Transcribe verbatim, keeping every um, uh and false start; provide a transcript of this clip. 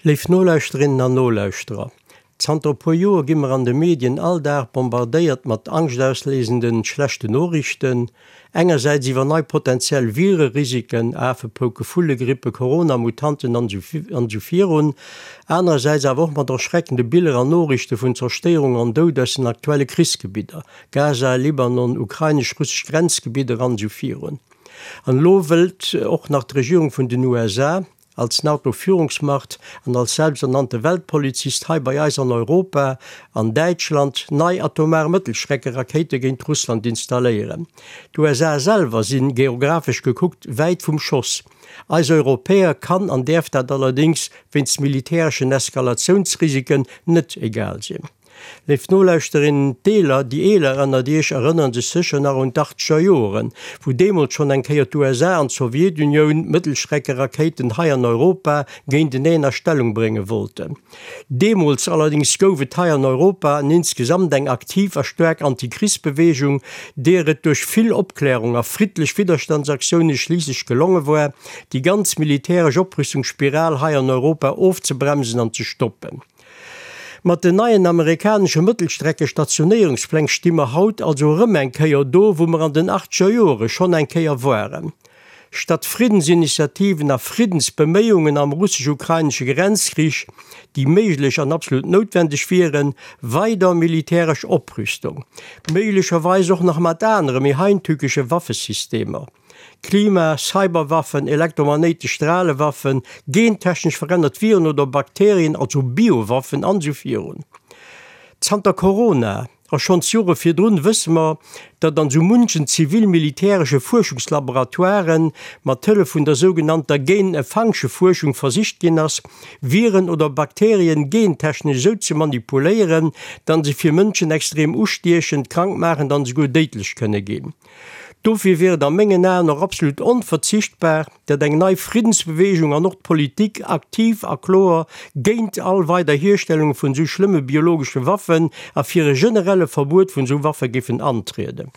Léif Nolauschterinnen an Nolauschterer, zanter e puer Joer gi mer an de Medien all Dag bombardéiert mat angschtauslesenden schlechten Noriichten, engersäits iwwer nei potentiell Virerisiken, Afepouke, Vullegrippe, Corona-Mutanten an esou virun, anerersäits awer och mat erschreckende Biller an Noriichte vun Zerstéierung an Doud aus den aktuelle Krichsgebidder, Gaza, Libanon, ukrainesch-russesch Grenzgebidder an esou virun. An elo wëllt och nach d'Regierung vun den U S A, als NATO-Führungsmacht an als selbsternannte Weltpolizist hei bei eis an Europa, an Däitschland, nei atomar Mëttelstreckerakéite géint Russland installéieren. D'U S A selwer si geographesch gekuckt wäit vum Schoss. Eis Europäer kann an däerf dat allerdéngs wéinst militäreschen Eskalatiounsrisiken net egal sinn. Léif Nolauschterinnen, d'Eeler, déi Eeler ënnert Iech erënneren sech sécher nach un d'Achtzeger Joren, wou deemools schonn eng Kéier d'U S A an d'Sowjetunioun Mëttelstreckerakéiten hei an Europa géinteneen a Stellung brénge wollten. Deemools allerdéngs gouf et hei an Europa an insgesamt eng aktiv a staark Antikrichsbeweegung, deer et duerch vill Opklärung a friddlech Widderstandsaktioune schliisslech gelonge war, déi ganz militäresch Oprüstungsspiral hei an Europa ofzebremsen an ze stoppen. Mat den neien amerikanesche Mëttelstrecke-Stationéierungspläng sti mer haut also erëm eng Kéier do, wou mer an den achtzeger Jore schonn eng Kéier waren. Statt Friddensinitiativen a Friddensbeméiungen am russesch-ukrainesche Grenzkrich, déi méiglech an absolut noutwendeg wieren, weider militäresch Oprüstung, méiglecherweis och nach mat anere méi heimtückesche Waffesystemer. Klima-, Cyberwaffen, elektromagnéitesch Stralewaffen, gentechnesch verännert Viren oder Bakterien, also Biowaffen an esou virun. Zanter Corona, a schonns Jore virdrun, wësse mer, datt an sou munchen zivil-militäresche Fuerschungslaboratoiren mat Hëllef vun der sougenannter Gain-of-Function-Fuerschung versicht ginn ass, Viren oder Bakterien gentechnesch esou ze manipuléieren, datt se fir Mënschen extrem ustiechend, krankmaachend an esouguer déidlech kënne ginn. Dofir wier et a mengen Aen och absolut onverzichtbar, datt eng nei Friddensbeweegung an och d'Politik aktiv a kloer géint all weider Hierstellung vun esou schlëmme biologesche Waffen a fir e generelle Verbuet vun esou Waffe géifen antrieden.